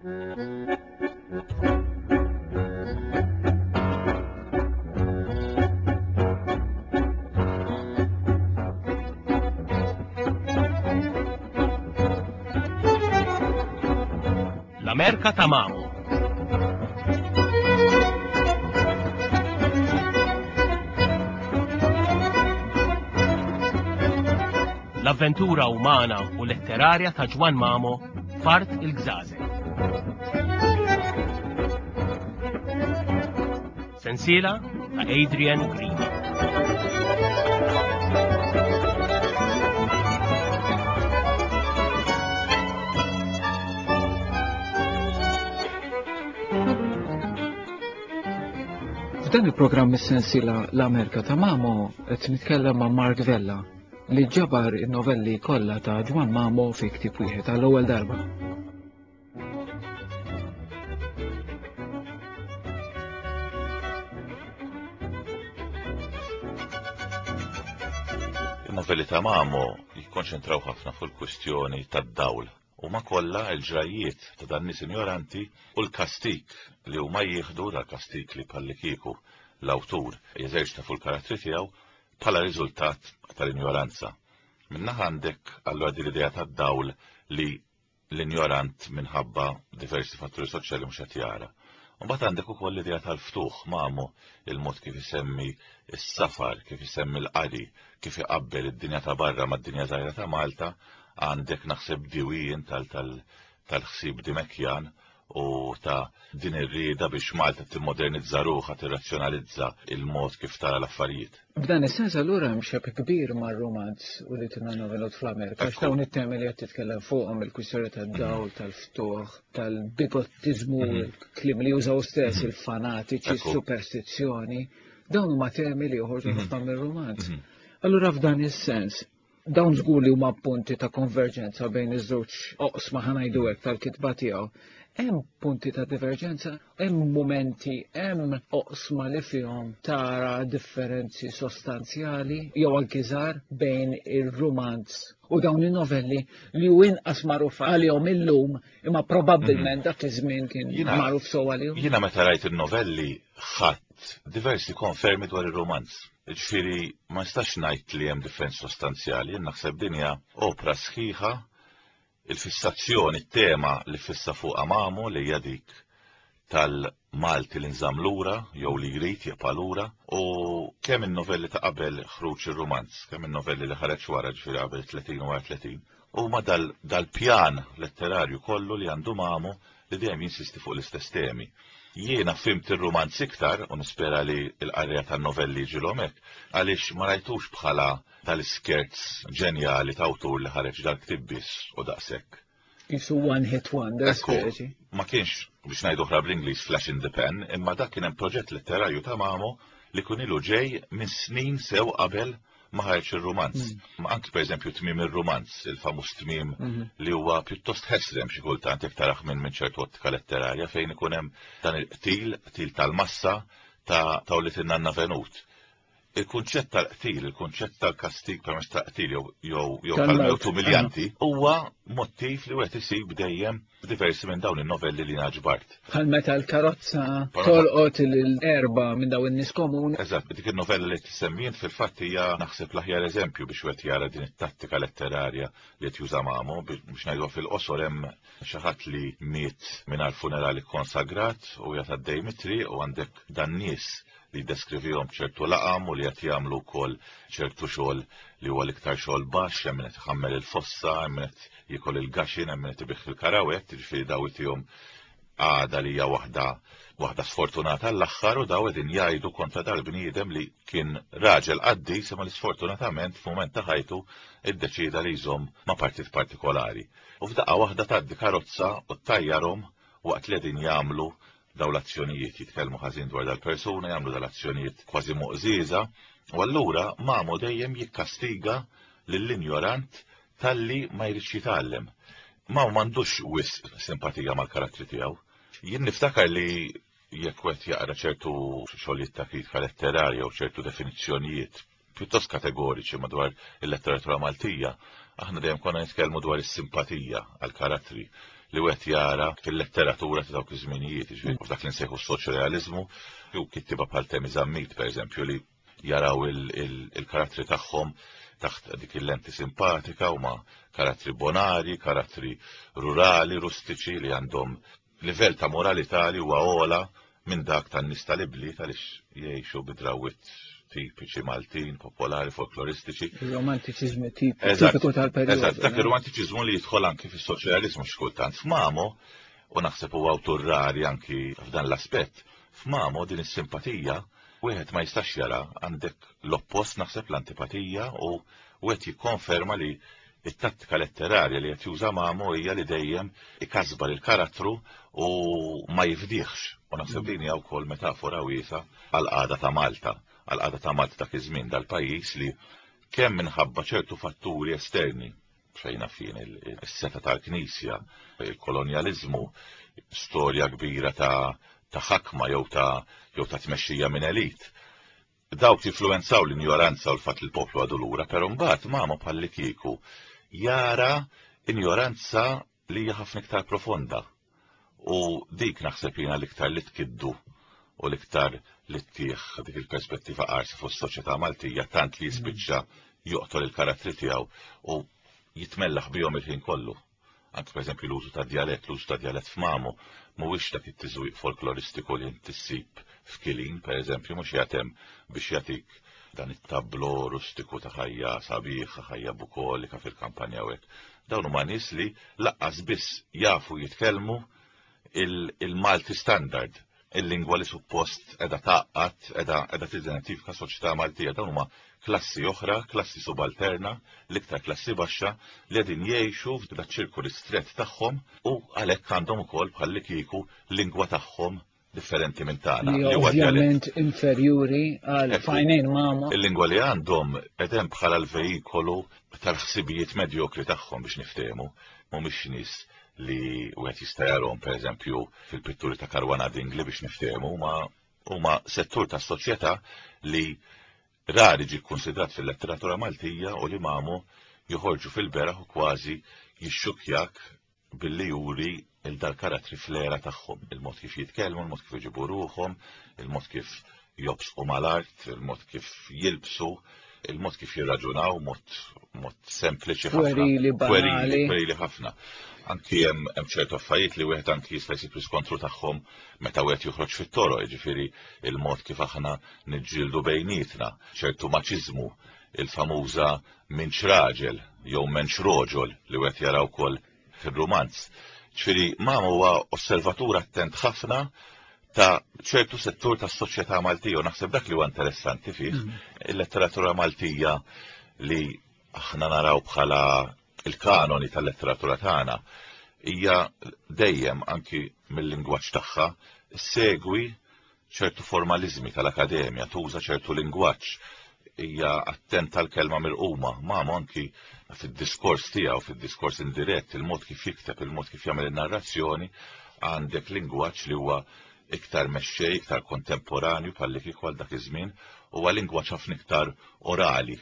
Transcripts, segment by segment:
L-Amerka ta' Mamo. L-avventura umana u letterarja ta' Ġwann Mamo f'Art il-Gżażel. Sensiela ta' Adrian Green. F'dan il-programm is-sensiela L-Amerika ta' Mamo qed nitkellem ma' Mark Vella li ġabar in-novelli kollha ta' Ġwann Mamo fi ktieb wieħed għall-ewwel darba. Il-novelli ta' Mamo jikkonċentraw ħafna fuq il-kwistjoni tad-dawl. Huma kollha l-ġrajjiet ta' dan nies injoranti u l-kastig li huma jieħdu, dal-kastig li bħallikieku l-awtur jeżerċita fuq il-karattri tiegħu bħala riżultat tal-injoranza. Minn naħa għandek allura din l-idea tad-dawl li l-injorant minħabba diversi fatturi soċjali mhux qed jara. Mbagħad għandek ukoll l-idea tal-ftuħ mamu il-mod kif isemmi s-safar, kif isemmi l-qari, kif iqabbel id-dinja ta' barra mad-dinja żgħira ta' Malta, għandek naħseb diwien tal-ħsieb Dimekjan u ta' din ir-rieda biex Malta timmodernizza ruħha, tirrazzjonalizza il-mod kif tara l-affarijiet. F'dan is-sens allura hemm xebh kbir mar-rumanz u li tinna novelot fl-Amerika, għax dawn it-temi li qed titkellem fuqhom il-kwistjoni tad-dawl, mhm. tal-ftuħ, tal-bigottiżmu, mhm. il-kliem li jużaw stess, mhm. il-fanatiċi, superstizzjoni, dawn huma temi li joħorġu ħafna mir-rumanz. Allura f'dan is-sens, Dawn żgur li huma punti ta' konverġenza bejn iż-żewġ oqsma ħanajdu hekk tal-kitba tiegħu. Hemm punti ta' diverġenza, hemm mumenti, hemm oqsma li fihom tara differenzi sostanzjali jew anki żgħar bejn ir-rumanz u dawn in-novelli li hu inqas magħruf għalihom illum imma probabbilment mhm. dak iż-żmien kien magħruf sew għalihom. Jiena meta rajt in-novelli ħadd diversi konfermi dwar ir-rumanz. Jiġifieri ma nistax ngħid li hemm differenzi sostanzjali, jien naħseb din hija opra sħiħa, il-fissazzjoni, it-tema li ffissa fuqha Mamo li hija dik tal-Malti li nżamm lura jew li jrid jibqa' lura u kemm in-novelli ta' qabel ħruġ ir-rumanz, kemm in-novelli li ħareġ wara ġifieri qabel 30 u wara 30, huma dal-pjan letterarju kollu li għandu Mamo li dejjem jinsisti fuq l-istess temi. Jiena fhimt ir-rumanz iktar, u nispera li l-qarrejja tan-novelli jiġilhom hekk, għaliex ma rajtux bħala tal-iskerz ġenjali ta' awtur li ħareġ dal-ktieb biss u daqshekk. Qisu one hit wonder, speċi. Ma kienx, biex ngħidu oħra bl-Ingliż, flash in the pan, imma dak kien hemm proġett letterarju ta' Mamo li kien ilu ġej minn snin sew qabel ma ħareġ ir-rumanz. Mm. Anki pereżempju tmiem ir-rumanz, il-famuż tmiem mhm. li huwa pjuttost ħesrem xi kultant jekk taraħ minn minn ċertu ottika letterarja fejn ikun hemm dan il-qtil, qtil tal-massa ta' ta' li tinnanna venut. Il-kunċett tal-qtil, il-kunċett tal-kastig permezz tal-qtil jew jew tal-mewt umiljanti huwa mottiv li wieħed isib dejjem Diversi minn dawn in-novelli li jiena ġbart. Bħal meta l-karozza tolqot l-erba minn dawn in-nies komuni. Eżatt, dik in-novella li tissemmi int fil-fatt hija naħseb l-aħjar eżempju biex wieħed jara din it-tattika letterarja li qed juża Mamo, biex ngħiduha fil-qosor hemm xi ħadd li miet mingħajr funeral ikkonsagrat u qiegħed għaddej mit-triq u għandek dan-nies li jiddeskrivihom b'ċertu laqam u li qed jagħmlu wkoll ċertu xogħol li huwa l-iktar xogħol baxx, hemm min qed iħammel il-fossa, hemm min qed jiekol il-gaxin, hemm min qed ibigħ il-karawett, jiġifieri daw itihom għada li hija waħda waħda sfortunata l-aħħar u daw qegħdin jgħidu kontra dal-bniedem li kien raġel qaddis imma li sfortunatament f'mument ta' ħajtu iddeċieda li jżomm ma' partit partikolari. U f'daqqa waħda tgħaddi karozza u ttajjarhom waqt li qegħdin jagħmlu daw l-azzjonijiet, jitkellmu ħażin dwar dal-persuna, jagħmlu dal-azzjonijiet kważi moqżieża, u allura Mamo dejjem jikkastiga lill-injorant talli ma jridx jitgħallem. Mamo m'għandux wisq simpatija mal-karattri tiegħu. Jien niftakar li jekk wieħed jaqra ċertu xogħlijiet ta' kritika letterarja u ċertu definizzjonijiet pjuttost kategoriċi madwar il-letteratura Maltija, aħna dejjem konna nitkellmu dwar is-simpatija għall-karattri. li wieħed jara fil-letteratura ta' dawk iż-żminijiet, jiġifieri f'dak li nsejħu s-soċrealiżmu, u kittieba bħal Temi Zammit pereżempju li jaraw il-karattri tagħhom taħt dik il-lenti simpatika huma karattri bonari, karattri rurali, rustiċi li għandhom livell ta' moralità li huwa ogħla minn dak tan-nies tal-ibliet għaliex jgħixu bi drawwiet tipiċi Maltin, popolari, folkloristiċi. Il-romantiċiżmu tipiku tal-perjodu. Eżatt, dak ir-romantiċiżmu li jidħol anki fis-soċjaliżmu xi kultant. F'Mamo, u naħseb huwa awtur rari anki f'dan l-aspett, f'Mamo din is-simpatija wieħed ma jistax jara għandek l-oppost naħseb l-antipatija u wieħed jikkonferma li it-tattika letterarja li qed juża Mamo hija li dejjem ikasbar il-karattru u ma jifdihx. U naħseb din hija wkoll metafora wiesgħa għall-qagħda ta' Malta, għall-qagħda ta' Malta dak iż-żmien dal-pajjiż li kemm minħabba ċertu fatturi esterni, xejn naf jien is-setgħa tal-Knisja, il-kolonjaliżmu, storja kbira ta' ta' ħakma jew ta' jew ta' tmexxija minn elit. Dawk jinfluwenzaw l-injoranza u l-fatt li l-poplu għadu lura, però mbagħad Mamo bħallikieku jara injoranza li hija ħafna iktar profonda. U dik naħseb jiena l-iktar li tkiddu u l-iktar li ttih dik il-perspettiva qarsa fuq is-soċjetà Maltija tant li jispiċċa joqtol il-karattri tiegħu u jitmellaħ bihom il-ħin kollu. Anki pereżempju l-użu ta' djalett, l-użu ta' djalett f'Mamo mhuwiex dak it-tiżwiq folkloristiku li inti ssib f'Kilin, pereżempju, mhux qiegħed hemm biex jagħtik dan it-tablo rustiku ta' ħajja sabiħa, ħajja bukolika fil-kampanja u hekk. Dawn huma nies li laqqas biss jafu jitkellmu il-Malti standard, il-lingwa li suppost qiegħda tgħaqqad, qiegħda tidentifika soċjetà Maltija. Dawn huma klassi oħra, klassi subalterna, l-iktar klassi baxxa li qegħdin jgħixu f'dak ċirku ristrett tagħhom u għalhekk għandhom ukoll bħallikieku lingwa tagħhom differenti minn tagħna. Li ovvjament inferjuri għal fajnejn mama. Il-lingwa li għandhom qegħdem bħala l-vejikolu tal-ħsibijiet medjokri tagħhom biex niftehmu, mhumiex nies li wieħed jista' jarhom pereżempju fil-pitturi ta' Caruana Dingli biex niftehmu, ma huma settur tas-soċjetà li rari ġie kkunsidrat fil-letteratura Maltija u li Mamo joħorġu fil-beraħ u kważi jixxukkjak billi juri il dal-karattri fl-era tagħhom, il-mod kif jitkellmu, il-mod kif iġibu ruħhom, il-mod kif jobsqu mal-art, il-mod kif jilbsu, il-mod kif jirraġunaw, mod, mod sempliċi ħafna. Pwerili, banali. Pwerili ħafna. Anki hemm ċertu affarijiet li wieħed anki jista' jsib riskontru tagħhom meta wieħed joħroġ fit-toroq, jiġifieri il-mod kif aħna niġġieldu bejnietna, ċertu maċiżmu, il-famuża minx raġel jew menx roġol li wieħed jara wkoll fir-rumanz. Ġifieri Mamo huwa osservatur attent ħafna ta' ċertu settur tas-soċjetà Maltija u naħseb dak li huwa interessanti fih mm. il-letteratura Maltija li aħna naraw bħala il-kanoni tal-letteratura tagħna hija dejjem anki mill-lingwaġġ tagħha segwi ċertu formaliżmi tal-akademja, tuża ċertu lingwaġġ, hija attenta l-kelma mirquma, Mamo anki fid-diskors tiegħu, fid-diskors indirett, il-mod kif jikteb, il-mod kif jagħmel in-narrazzjoni, għandek lingwaġġ li huwa iktar mexxej, iktar kontemporanju bħalli kieku għal dak iż-żmien, huwa lingwaġġ ħafna iktar orali.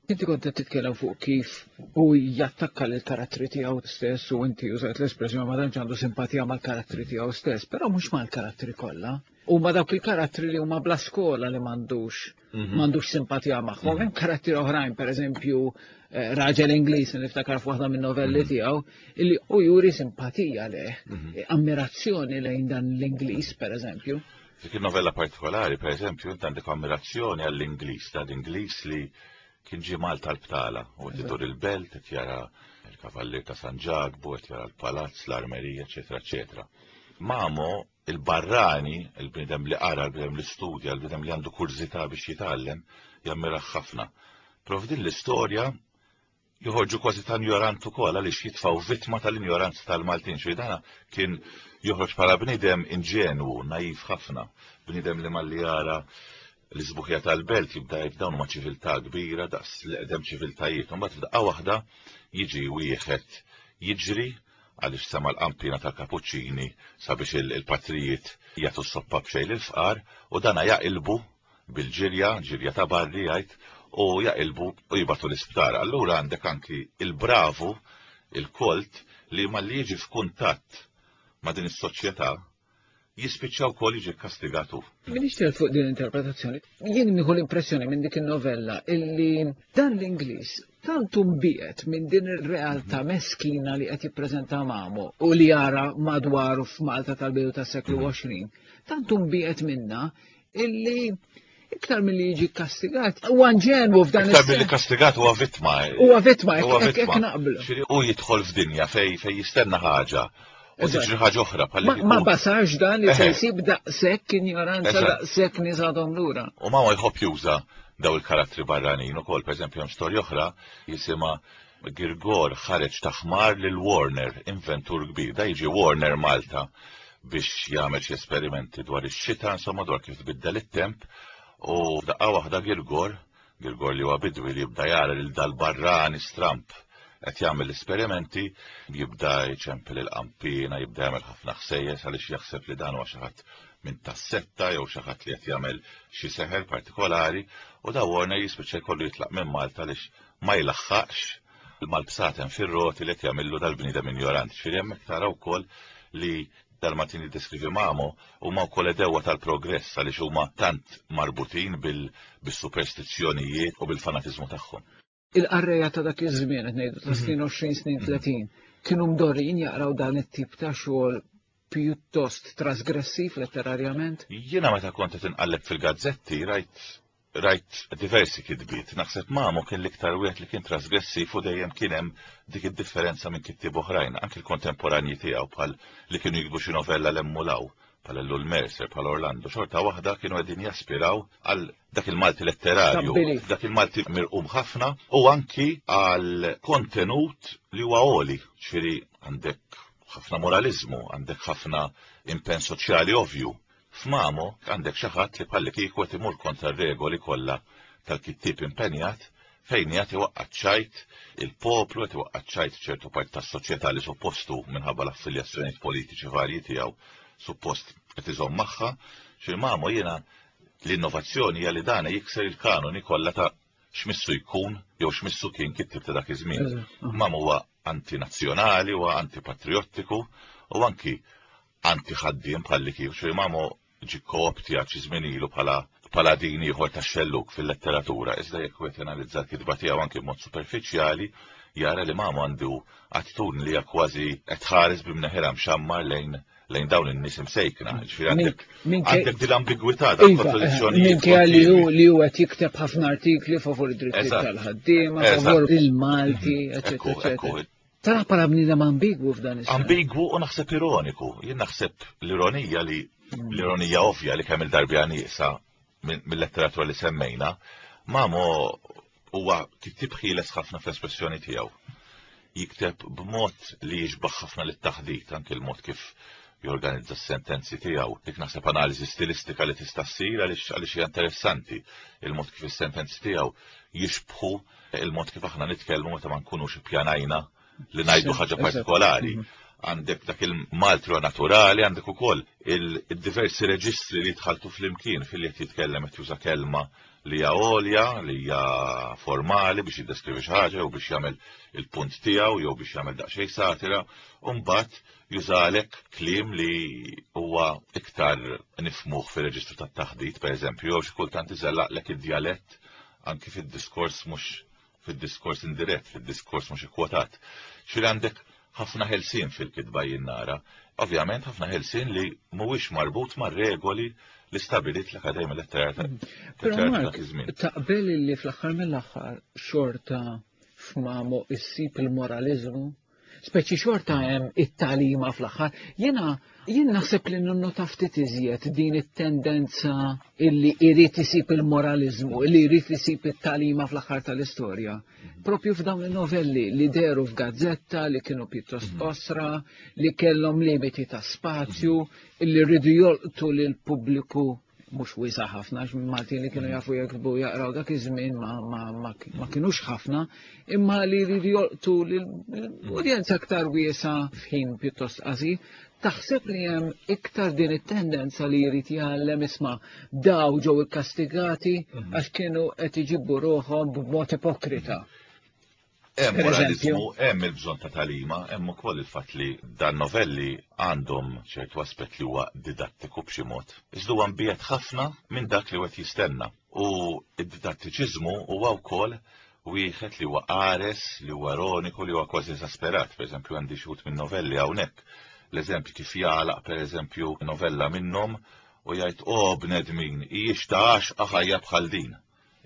Inti kont qed titkellem fuq kif hu jattakka lil karattri tiegħu stess u inti użajt l-espressjoni ma tantx għandu simpatija mal-karattri tiegħu stess, però mhux mal-karattri kollha. Huma dawk il-karattri li huma bla skola li m'għandux mhm. m'għandux simpatija magħhom. Mhm. Hemm karattri oħrajn, pereżempju eh, raġel Ingliż li niftakar f'waħda minn-novelli mhm. tiegħu, illi u juri simpatija leh, ammirazzjoni lejn dan l-Ingliż pereżempju. Dik il-novella partikolari, per eżempju, int għandek ammirazzjoni għall-Ingliż, ta' l-Ingliż li kien ġie Malta l-btala, u qed idur il-belt, qed jara l-Kavallier ta' San Ġakbu, qed jara l-palazz, l-armerija, eċetera, eċetera. Mamo, il-barrani, il-bniedem li qara, il-bniedem li studja, il-bniedem li għandu kurżità biex jitgħallem, jammirah ħafna. Però f'din l-istorja joħorġu kważi ta' injorant ukoll għaliex jitfgħu vittma tal-injoranza tal-Maltin. Xi dana kien joħroġ bħala bniedem inġenwu, naiv ħafna, bniedem li malli jara l-isbuħija tal-belt jibda jgħid dawn huma ċiviltà kbira daqs l-eqdem ċiviltajiet. Imbagħad f'daqqa waħda jiġi wieħed jiġri għaliex sema' l-qanpiena tal-kapuċċini sabiex il-patrijiet jagħtu s-soppa b'xejn lill-fqar u dana jaqilbu bil-ġirja, ġirja ta' barri jgħid, u jaqilbu u jibgħatu l-isptar. Allura għandek anki il-bravu, il-kolt, li malli jiġi f'kuntatt ma' din is-soċjetà jispiċċa wkoll jiġi kkastigat hu. Minix ċert fuq din l-interpretazzjoni. Jien nieħu l-impressjoni minn dik in-novella illi dan l-Ingliż tant mbiet minn din ir-realtà meskina li qed jippreżenta Mamo u li jara madwaru f'Malta tal-bidu tas-seklu 20, tant mbiet minna illi iktar milli jiġi kastigat, huwa inġenwu f'dan Iktar milli kastigat huwa vittma. Huwa vittma, hekk naqblu. U jidħol f'dinja fej fej jistenna ħaġa. U tiġri ħaġa oħra bħal Ma basax dan li se jsib daqshekk injoranza daqshekk nies għadhom lura. U ma jħobb juża daw il-karattri barranin ukoll, pereżempju hemm storja oħra jisimha Girgor ħareġ taħmar lil Warner, inventur kbir. Da jiġi Warner Malta biex jagħmel xi esperimenti dwar ix-xita, insomma dwar kif tbiddel it-temp, u f'daqqa waħda Girgor, Girgor li huwa bidwi li jibda jara lil dal-barrani stramp qed jagħmel l-esperimenti, jibda jċempel il-qanpiena, jibda jagħmel ħafna ħsejjes għaliex jaħseb li dan huwa xi ħadd minn tas-setta jew xi ħadd li qed jagħmel xi seħer partikolari, u da Warner jispiċċa jkollu jitlaq minn Malta għaliex ma jlaħħaqx mal-bsaten fir-roti li qed jagħmillu dal-bniedem injorant. Ġifieri hemmhekk tara wkoll li dal-Maltin li deskrivi Mamo huma wkoll edewwa tal-progress għaliex huma tant marbutin bis-superstizzjonijiet u bil-fanatiżmu tagħhom. Il-qarrejja ta' dak iż-żmien qed ngħidu ta' snin 20 snin 30 kienu mdorrijin jaqraw dan it-tip ta' xogħol pjuttost trasgressiv letterarjament? Jiena meta kont qed inqalleb fil-gazzetti rajt rajt diversi kitbiet. Naħseb Mamo kien l-iktar wieħed li kien trasgressiv u dejjem kien hemm dik id-differenza minn kittieb oħrajn, anki l-kontemporanji tiegħu bħal li kienu jiktbu xi novella 'l hemm u 'l hawn, bħal Ellul Mercer, bħal Orlando, xorta waħda kienu qegħdin jaspiraw għal dak il-Malti letterarju, dak il-Malti mirqum ħafna u anki għal kontenut li huwa għoli, ġifieri għandek ħafna moraliżmu, għandek ħafna impenn soċjali ovvju. F'Mamo għandek xi ħadd li bħallikieku qed imur kontra r-regoli kollha tal-kittieb impenjat fejn qiegħed iwaqqa' ċ-ċajt il-poplu, qed iwaqqa' ċ-ċajt ċertu parti tas-soċjetà li suppost hu minħabba l-affiljazzjonijiet politiċi varji tiegħu suppost qed iżomm magħha. Xi Mamo jiena l-innovazzjoni hija li dan jikser il-kanoni kollha ta' x'missu jkun jew x'missu kien kittieb ta' dak iż-żmien. Mamo huwa antinazzjonali, huwa antipatriottiku u anki anti-ħaddiem bħalli kif xi Mamo ġie kooptjat xi żmien ilu bħala paladin ieħor tax-xellug fil-letteratura, iżda jekk wieħed janalizza l-kitba tiegħu anki b'mod superfiċjali, jara li Mamo għandu attitudni li hija kważi qed tħares b'imneħirha mxammar lejn lejn dawn in-nies imsejkna. Ġifieri għandek għandek din l-ambigwità dan iva, kontradizzjonijiet. Minkejja li hu li hu qed jikteb ħafna artikli favur id-drittijiet tal-ħaddiema, favur il-Malti, mhm. eċetera, eċetera. Tara bħala bniedem ambigwu f'dan is Ambigwu u naħseb ironiku. Jien naħseb l-ironija li mm. l-ironija ovvja li kemm il-darbja nieqsa mill-letteratura li semmejna, Mamo huwa kittieb ħieles ħafna fl-espressjoni tiegħu. Jikteb b'mod li jixbaħ ħafna lit-taħdit, anke l-mod kif jorganizza s-sentenzi tiegħu. Dik naħseb analiżi stilistika li tista' ssir għaliex għaliex hija interessanti il-mod kif is-sentenzi tiegħu jixbħu il-mod kif aħna nitkellmu meta ma nkunux ippjanajna li ngħidu ħaġa partikolari. Mhm. Għandek dak il-maltro naturali, għandek ukoll il-diversi reġistri li jitħaltu fl-imkien fil qed jitkellem qed juża kelma li hija għolja, li hija formali biex jiddeskrivi xi ħaġa jew biex jagħmel il-punt tiegħu jew biex jagħmel daqsxejn satira, u mbagħad jużalek kliem li huwa iktar nifmuh fir-reġistru tat-taħdit, pereżempju, jew xi kultant iżellaqlek id-djalett anki fid-diskors mhux fid-diskors indirett, fid-diskors mhux ikkwotat. Xir għandek ħafna ħelsien fil-kitba jien nara. Ovvjament ħafna ħelsien li mhuwiex marbut ma' regoli li stabilit l-Akademja Letterarja mm. Però Mark, taqbel li fl-aħħar mill-aħħar xorta f'Mamo issib il-moraliżmu Speċi xorta hemm it-talima fl-aħħar. Jiena jien naħseb li nonnota ftit iżjed din it-tendenza illi irid isib il-moraliżmu, illi jrid isib it-talima fl-aħħar tal-istorja. Propju f'dawn il-novelli li deru f'gazzetta, li kienu pjuttost mhm. qosra, li kellhom limiti ta' spazju, illi rridu jolqtu lil pubbliku mhux wiesa' ħafna, għax Maltin li kienu jafu jektbu jaqraw dak iż-żmien ma, ma, ma, ma kinux ħafna, imma li jridu jolqtu l-udjenza aktar wiesa' f'ħin pjuttost qasir. Taħseb li hemm iktar din it-tendenza li jrid jgħallem isma' daw ġew ikkastigati mhm. għax kienu qed iġibu ruħhom b'mod ipokrita. Hemm moralizmu, hemm il-bżonn ta' tagħlima, hemm ukoll il-fatt li dan novelli għandhom ċertu aspett li huwa didattiku b'xi mod. Iżda huwa mbiegħed ħafna minn dak li wieħed jistenna. U d-didattiċiżmu huwa wkoll wieħed li huwa qares, li huwa ironiku, li huwa kważi esasperat. Pereżempju għandi xi wħud min-novelli hawnhekk. L-eżempju kif jagħlaq pereżempju novella minnhom u jgħid, O bnedmin, hijiex ta' għaxqa ħajja bħal din?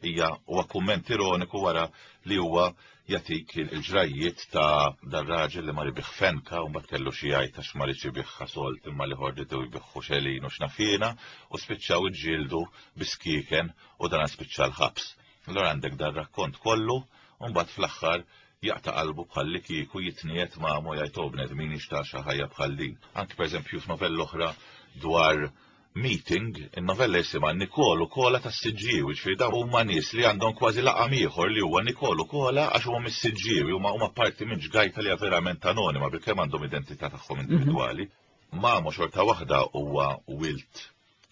Hija huwa kumment ironiku wara li huwa jagħtik il-ġrajjiet ta' dar-raġel li mar ibigħ fenka u mbagħad kellu xi jgħid għax ma riedx ibigħha sold imma l-ieħor riedu jbigħhu xelin u x'naf jiena u spiċċaw iġġieldu bi skieken u dan spiċċa l-ħabs. Allura għandek dar-rakkont kollu u mbagħad fl-aħħar jaqta' qalbu bħallikieku jitniegħed magħhom u jgħid oh bnedmin x'ta' ħajja bħal din. Anki pereżempju f'novella oħra dwar meeting, in-novella jisimha Nikol u Kola tas-Siġġiewi, ġifieri dawn huma nies li għandhom kważi laqam ieħor li huwa Nikol u Kola għax huma mis-Siġġiewi, huma huma parti minn ġgajta li hija verament anonima bilkemm għandhom identità tagħhom individwali. Mamo xorta waħda huwa wilt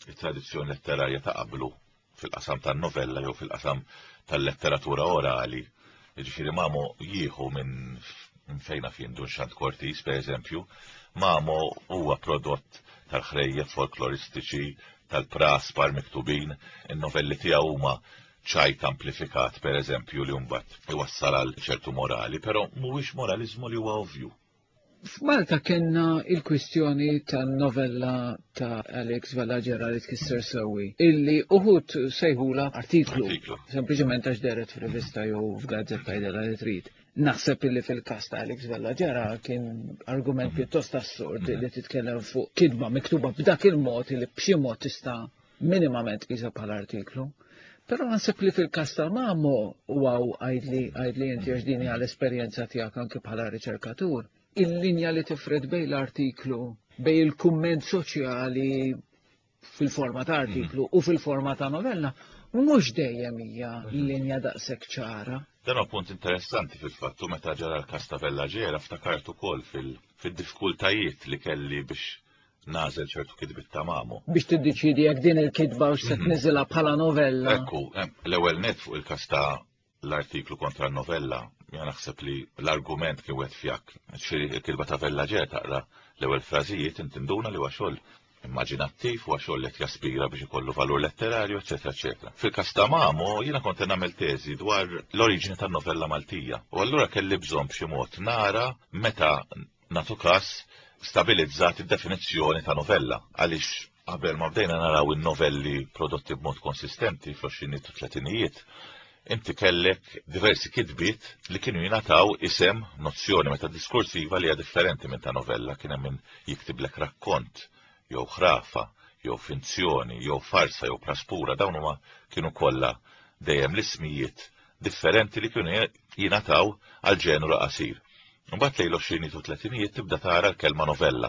it-tradizzjoni letterarja ta' qablu fil-qasam tan-novella jew fil-qasam tal-letteratura orali. Jiġifieri Mamo jieħu minn minn fejn naf jien Dun Xand Cortis, per eżempju, Mamo huwa prodott tal-ħrejjef folkloristiċi, tal-praspar miktubin, in-novelli tiegħu huma ċajt amplifikat, per eżempju, li mbagħad iwassal għal ċertu morali, però mhuwiex moraliżmu li huwa ovvju. F'Malta kellna il-kwistjoni tan-novella ta' Alex Vella Ġera li tkisser sewwi, illi uħud sejħula artiklu, sempliċement għax dehret f'rivista jew f'gazzetta jidhirha li trid. Naħseb illi fil-każ ta' Alex Vella Ġera kien argument pjuttost assurd li titkellem fuq kitba miktuba b'dak il-mod illi b'xi mod tista' minimament tqisha bħala artiklu. Però naħseb li fil-każ ta' Mamo u għaw għajdli għajdli inti għax din hija l-esperjenza tiegħek anke bħala riċerkatur, il-linja li tifred bejn l-artiklu, bejn il-kumment soċjali fil-forma ta' artiklu u fil-forma ta' novella, mhux dejjem hija linja daqshekk ċara. Dan huwa punt interessanti fil-fatt u meta ġara l-każ ta' Vella Ġera ftakart ukoll fil-diffikultajiet li kelli biex nagħżel ċertu kitbiet ta' Mamo. Biex tiddeċiedi jekk din il-kitba hux se tniżilha bħala novella. Ekku, l-ewwel nett fuq il-każ ta' l-artiklu kontra n-novella, jien naħseb li l-argument kien wieħed fjakk. Ġifieri il-kitba ta' Vella Ġer taqra l-ewwel frażijiet inti nduna li huwa xogħol immaġinattiv, huwa xogħol li qed jaspira biex ikollu valur letterarju, eċċetera, eċċetera. Fil-każ ta' Mamo, jiena kont qed nagħmel teżi dwar l-oriġini tan-novella Maltija. U allura kelli bżonn b'xi mod nara meta nagħtu każ, stabilizzat id-definizzjoni ta' novella, għaliex qabel ma bdejna naraw in-novelli prodotti b'mod konsistenti fl-għoxrinijiet u tletinijiet, inti kellek diversi kitbiet li kienu jingħataw isem, nozzjoni metadiskursiva li hija differenti minn ta' novella, kien hemm min jiktiblek rakkont, jew ħrafa, jew finzjoni, jew farsa, jew praspura, dawn huma kienu kollha dejjem l-ismijiet differenti li kienu jingħataw għal ġenru qasir. Imbagħad lejn l-għoxrinijiet u t-tletinijiet tibda tara l-kelma novella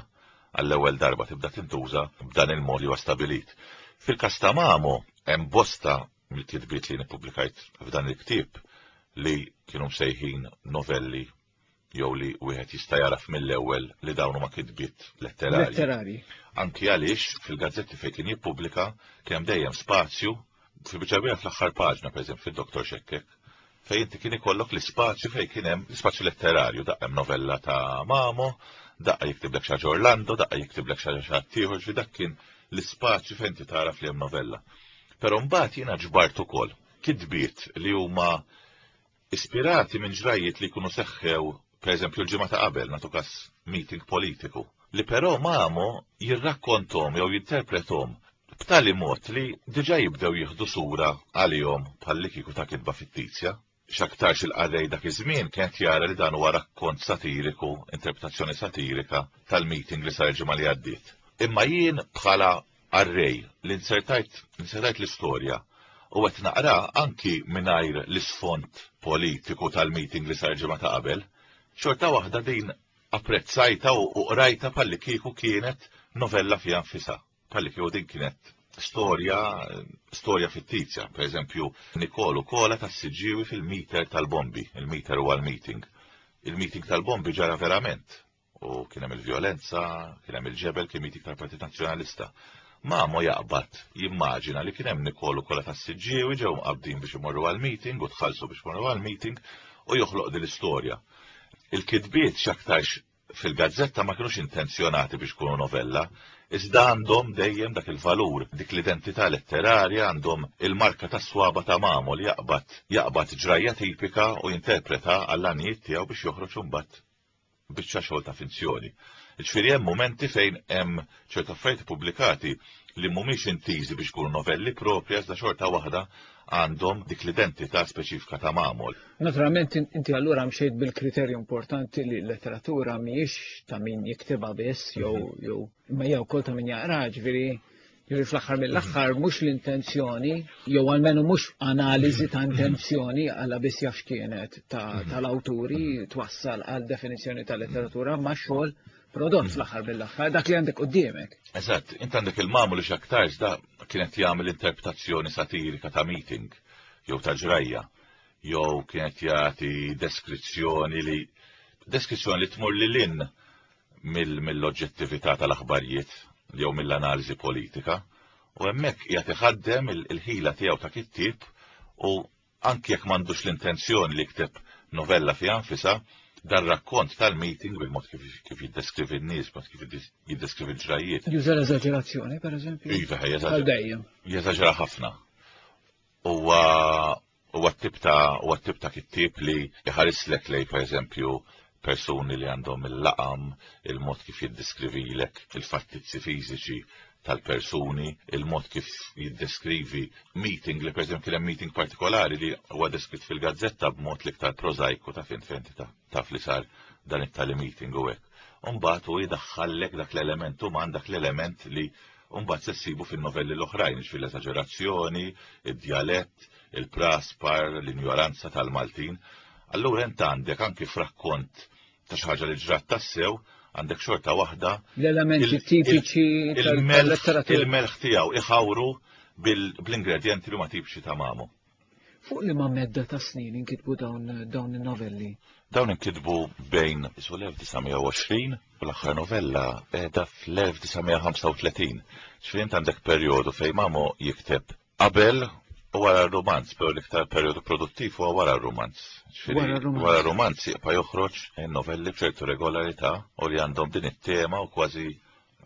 għall-ewwel darba tibda tintuża b'dan il-mod li huwa stabilit. Fil-każ ta' Mamo hemm bosta mill-kitbiet li jien ippubblikajt f'dan il-ktieb li kienu msejħin novelli jew li wieħed jista' jagħraf mill-ewwel li dawn huma kitbiet letterarji. Letterarji. Anki għaliex fil-gazzetti fejn kien jippubblika kien hemm dejjem spazju fil-biċċa kbira fl-aħħar paġna, pereżempju fid-Dottor Xekkek, fejn inti kien ikollok l-ispazju fejn kien hemm l-ispazju letterarju, daqqa hemm novella ta' Mamo, daqqa jiktiblek xi ħaġa Orlando, daqqa jiktiblek xi ħaġa xi ħadd ieħor, ġifieri dak kien l-ispazju fejn inti tagħraf li hemm novella. Però mbagħad jiena ġbart ukoll kitbiet li huma ispirati minn ġrajjiet li jkunu seħħew, pereżempju l-ġimgħa ta' qabel, nagħtu każ meeting politiku, li però Mamo jirrakkonthom jew jinterprethom b'tali mod li diġà jibdew jieħdu sura għalihom bħallikieku ta' kitba fittizja. X'aktarx il-qarrej dak iż-żmien kien qed jara li dan huwa rakkont satiriku, interpretazzjoni satirika tal-meeting li sar il-ġimgħa li għaddiet. Imma jien bħala qarrej li nzertajt nzertajt l-istorja u qed naqra anki mingħajr l-isfond politiku tal-meeting li sar ġimgħa ta' qabel, xorta waħda din apprezzajtha u qrajtha bħallikieku kienet novella fiha nfisha, bħallikieku din kienet storja storja fittizja. Per eżempju, Nikol u Kola tas-Siġġiewi fil-meter tal-bombi, il-meter huwa l-meeting. Il-meeting tal-bombi ġara verament. U kien hemm il-vjolenza, kien hemm il-ġebel, kien meeting tal-Partit Nazzjonalista. Mamo jaqbad jimmaġina li kien hemm Nikol u Kola tas-Siġġiewi ġew mqabbdin biex imorru għall-meeting u tħallsu biex imorru għall-meeting. U joħloq din l-istorja. Il-kitbiet x'aktarx fil-gazzetta ma kinux intenzjonati biex ikunu novella, iżda għandhom dejjem dak il-valur, dik l-identità letterarja, għandhom il-marka tas-swaba ta' Mamo li jaqbad jaqbad ġrajja tipika u jinterpreta għall-għanijiet tiegħu biex joħroġ imbagħad biċċa xogħol ta' finzjoni. Ġifieri hemm mumenti fejn hemm ċertu affarijiet pubblikati li mhumiex intiżi biex ikunu novelli proprja iżda xorta waħda għandhom dik l-identità speċifika ta' Mamol. Naturalment inti allura mxejt bil-kriterju importanti li l-letteratura mhijiex ta' min jiktibha biss jew mhm. jew imma hija wkoll ta' min jaqra, ġifieri Ġifieri fl-aħħar mill-aħħar mhux l-intenzjoni, jew almenu mhux analiżi ta' intenzjoni għalla biss jaf x'kienet mhm. tal-awturi twassal għal definizzjoni ta' letteratura ma' xogħol prodott mhm. fl-aħħar mill-aħħar dak li għandek quddiemek. Eżatt, int għandek il-mamu li x'aktarx da kienet jagħmel interpretazzjoni satirika ta' meeting jew ta' ġrajja jew kienet jagħti deskrizzjoni li deskrizzjoni li tmur lil hinn mill-oġġettività tal-aħbarijiet jew mill-analiżi politika u hemmhekk qiegħed iħaddem il-ħila tiegħu ta' kittieb u anki jekk m'għandux l-intenzjoni li jikteb novella fiha nfisha, dar rakkont tal-meeting bil-mod kif jiddeskrivi n-nies, mod kif jiddeskrivi l-ġrajjiet. Juża l-eżaġerazzjoni, per eżempju? Iva, jeżaġera. Jeżaġera ħafna. Huwa Huwa t-tip ta' huwa t-tip ta' kittieb li jħarislek lejn pereżempju persuni li għandhom il-laqam, il-mod kif jiddiskrivilek il-fattizzi fiżiċi tal-persuni, il-mod kif jiddeskrivi meeting li pereżempju kien hemm meeting partikolari li huwa deskritt fil-gazzetta b'mod l-iktar prożajku ta' fint fejn taf li sar dan it-tali meeting u hekk. U mbagħad hu jdaħħallek dak l-element uman, dak l-element li mbagħad se ssibu fin-novelli l-oħrajn, jiġifieri l-esaġerazzjoni, id-djalett, il-praspar, l-injoranza tal-Maltin. Allura int għandek anki f'rakkont ta' xi ħaġa li ġrat tassew, għandek xorta waħda. L-elementi tipiċi tal-letteratura. Il-melħ tiegħu iħawru bl-ingredjenti li huma tipiċi ta' Mamo. Fuq liema medda ta' snin inkitbu dawn dawn in-novelli? Dawn inkitbu bejn isu l-1920 u l-aħħar novella qiegħda fl-1935. Ġifieri int għandek perjodu fejn Mamo jikteb qabel u wara r-rumanz, però l-iktar perjodu produttiv huwa wara r-rumanz. Ġifieri wara r-rumanz jibqa' joħroġ novelli b'ċertu regolarità u li għandhom din it-tema u kważi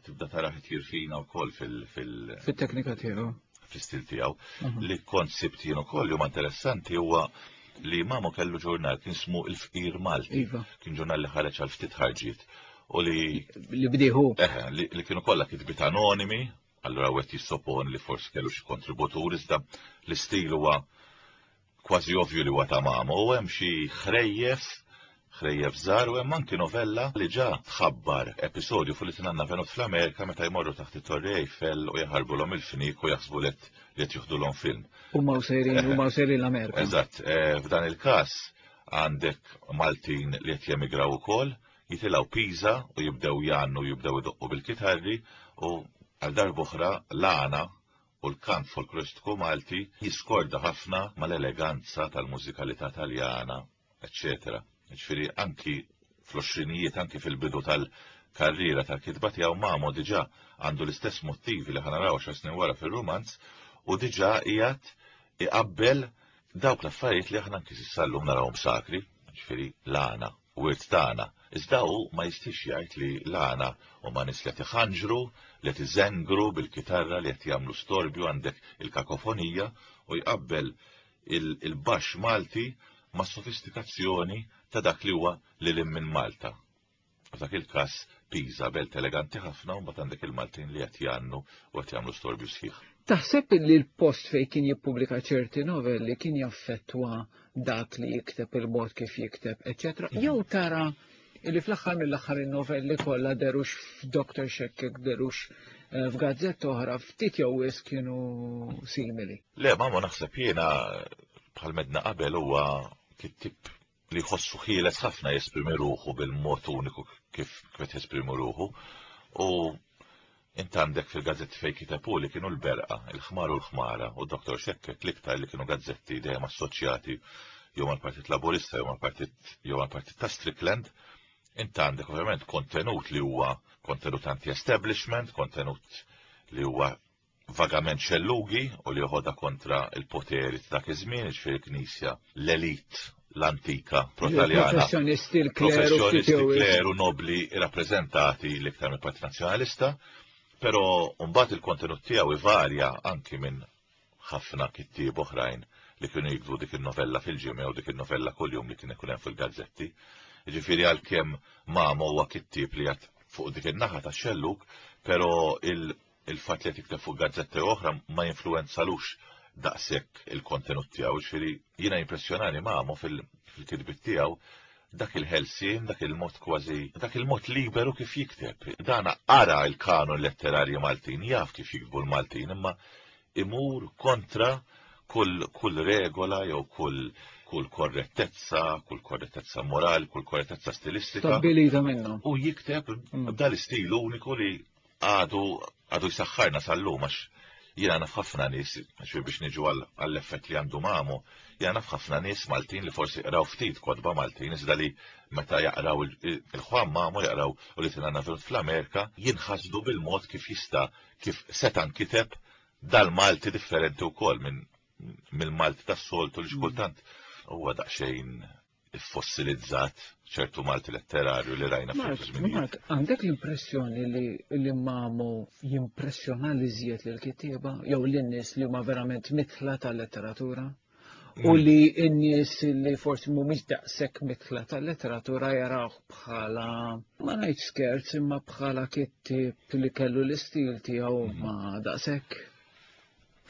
tibda tara jirfina wkoll fil- Fit-teknika tiegħu. Fl-istil tiegħu. Mhm. Li kont sibt jien ukoll li huma interessanti huwa li Mamo kellu ġurnal kien smu il-Fqir Malti. Iva. Kien ġurnal li ħareġ għal ftit ħarġiet. U li. Li bdieħu. Eħe, li kienu kollha kitbiet anonimi, allura wieħed jissoponi li forsi kellu xi kontributur, iżda l-istil huwa kważi ovvju li huwa ta' Mamo u hemm xi ħrejjef, ħrejjef żgħar u hemm anki novella li ġa tħabbar episodju fuq li tinanna venut fl-Amerika meta jmorru taħt it-Torri Eiffel u jaħarbulhom il-fniek u jaħsbu li qed joħdulhom film. Huma u sejrin, huma u sejrin l-Amerika. Eżatt, eh, f'dan il-każ għandek Maltin li qed jemigraw ukoll, jitilgħu Pisa u jibdew jgħannu jibdew idoqqu bil-kitarri u għal darb'oħra l-għana u l-kant folkloristiku Malti jiskorda ħafna mal-eleganza tal-mużikalità Taljana, eċċetera. Jiġifieri anki fl-għoxrinijiet, anki fil-bidu tal-karriera tal-kitba tiegħu Mamo diġà għandu l-istess motivi li ħa naraw għaxar snin wara fir-rumanz u diġà qiegħed iqabbel dawk l-affarijiet li aħna anki s'issa llum narawhom sakri, jiġifieri l-għana. wirt tagħna. Iżda hu ma jistiex jgħid li l-għana huma nies li qed iħanġru, li qed iżengru bil-kitarra, li qed jagħmlu storbju għandek il-kakofonija u jqabbel il-baxx Malti mas-sofistikazzjoni ta' dak li huwa lil hinn minn Malta. F'dak il-każ Pisa, belt eleganti ħafna u mbagħad għandek il-Maltin li qed jgħannu u qed jagħmlu storbju sħiħ. Taħseb li l-post fejn kien jippubblika ċerti novelli kien jaffettwa dak li jikteb, il-mod kif jikteb, eċċetera, mhm. jew tara li fl-aħħar mill-aħħar in-novelli kollha derux f'Dr. Xekkek, derux eh, f'gazzetta oħra, ftit jew wisq kienu simili. Le, ma naħseb jiena bħal medna qabel huwa kittib li jħossu ħieles ħafna jesprimi ruħu bil-mod uniku kif qed jesprimi ruħu. U int għandek fil-gazzetti fejn kiteb hu li kienu l-Berqa, il-Ħmar u l-Ħmara u Dr. Xekkek l-iktar li kienu gazzetti dejjem assoċjati jew mal-Partit Laburista jew mal-Partit jew mal-Partit ta' Strickland. Int għandek ovvjament kontenut li huwa kontenut anti-establishment, kontenut li huwa vagament xellugi u li joħodha kontra il-poteri ta' dak iż-żmien, jiġifieri l-Knisja, l-elit l-antika protaljana. Professjonisti, l-kleru, professjonisti, kleru, nobli rappreżentati l-iktar mill-Partit Nazzjonalista, però mbagħad il-kontenut tiegħu ivarja anki minn ħafna kittieb oħrajn li kienu jiktbu dik in-novella fil-ġimgħa jew dik in-novella kuljum li kien ikun hemm fil-gazzetti. Jiġifieri għalkemm Mamo huwa kittieb li għad fuq dik in-naħa tax-xellug, però il-fatt li qed jikteb fuq gazzetti oħra ma jinfluwenzalux daqshekk il-kontenut tiegħu. Jiġifieri jiena jimpressjonani Mamo fil-kitbiet tiegħu dak il-ħelsien, dak il-mod kważi, dak il-mod liberu kif jikteb. Dana qara l-kanon letterarju Maltin, jaf kif jiktbu l-Maltin, imma imur kontra kull, kull regola jew kull kull korrettezza, kull korrettezza morali, kull korrettezza stilistika. Stabbilita minnhom. U jikteb mm. dal-istil uniku li għadu għadu jsaħħarna sal-lum għax jiena naf ħafna nies, għax biex niġu għall-effett li għandu mamu, jiena naf ħafna nies Maltin li forsi qraw ftit kotba Maltin, iżda li meta jaqraw il-ħwam mamu jaqraw u li tingħanna fl-Amerika, jinħasdu bil-mod kif jista' kif seta' nkiteb dal-Malti differenti wkoll minn mill-Malti tas-soltu li xkultant huwa daqsxejn iffossilizzat ċertu Malti letterarju li rajna fil żminijiet. Mark, għandek l-impressjoni li li Mamo jimpressjona li żjed lil kittieba jew lin-nies li huma verament mitħla tal-letteratura? U mm. li n-nies li forsi mhumiex daqshekk mitħla tal-letteratura jarawh bħala ma ngħidx skerz imma bħala kittieb li kellu l-istil tiegħu mm. ma daqshekk.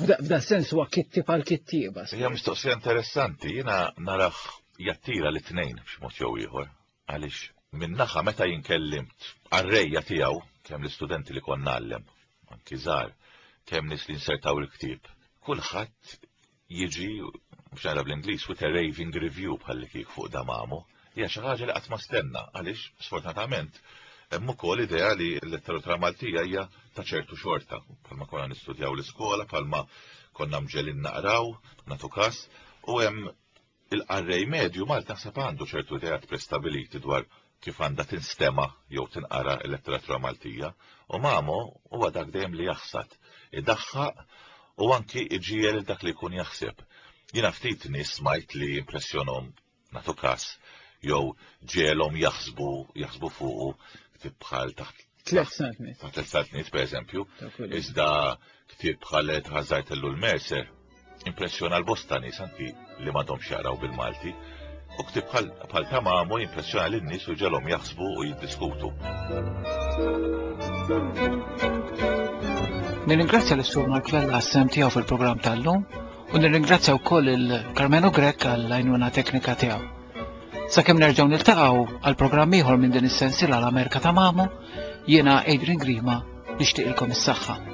F'da sens huwa kittib għal kittieba. Hija mistoqsija interessanti, jiena narah jattira li tnejn b'xi mod jew ieħor. Għaliex min-naħa meta jien kellimt qarrejja tiegħu, kemm l-istudenti li kont ngħallem, anki żgħar, kemm nies li nsertaw il-ktieb, kulħadd jiġi biex nara bl-Ingliż with a raving review bħalli kik fuq damamu. Hija xi ħaġa li qatt ma stenna għaliex sfortunatament hemm ukoll idea li l-letteratura Maltija hija ta' ċertu xorta, bħalma konna nistudjaw l-iskola, bħalma konna mġelin naqraw, nagħtu każ, u hemm il-qarrej medju Malti naħseb għandu ċertu ideat prestabiliti dwar kif għandha tinstema' jew tinqara l-letteratura Maltija, u Mamo huwa dak dejjem li jaħsad, idaħħaq u anki iġiegħel lil dak li jkun jaħseb. Jiena ftit nies smajt li impressjonhom nagħtu każ jew ġegħelhom jaħsbu jaħsbu fuqu ktieb bħal taħt Tlet saltniet. Taħt tlet saltniet, per eżempju. Iżda ktieb bħal tħażżart ellul Mercer impressjona l-bosta nies anki li m'għadhomx jaqraw bil-Malti. U ktieb bħal ta' Mamo jimpressjona lin-nies u ġelhom jaħsbu u jiddiskutu. Nirringrazzja l-Sur Mark Vella għas-sem tiegħu fil-programm tal-lum u nirringrazzja wkoll il-Carmenu Grech għall-għajnuna teknika tiegħu. Sakemm nerġgħu niltaqgħu għal programm ieħor minn din is-sensiela l-Amerika ta' Mamo, jiena Adrian Grima nixtieqilkom is-saħħa.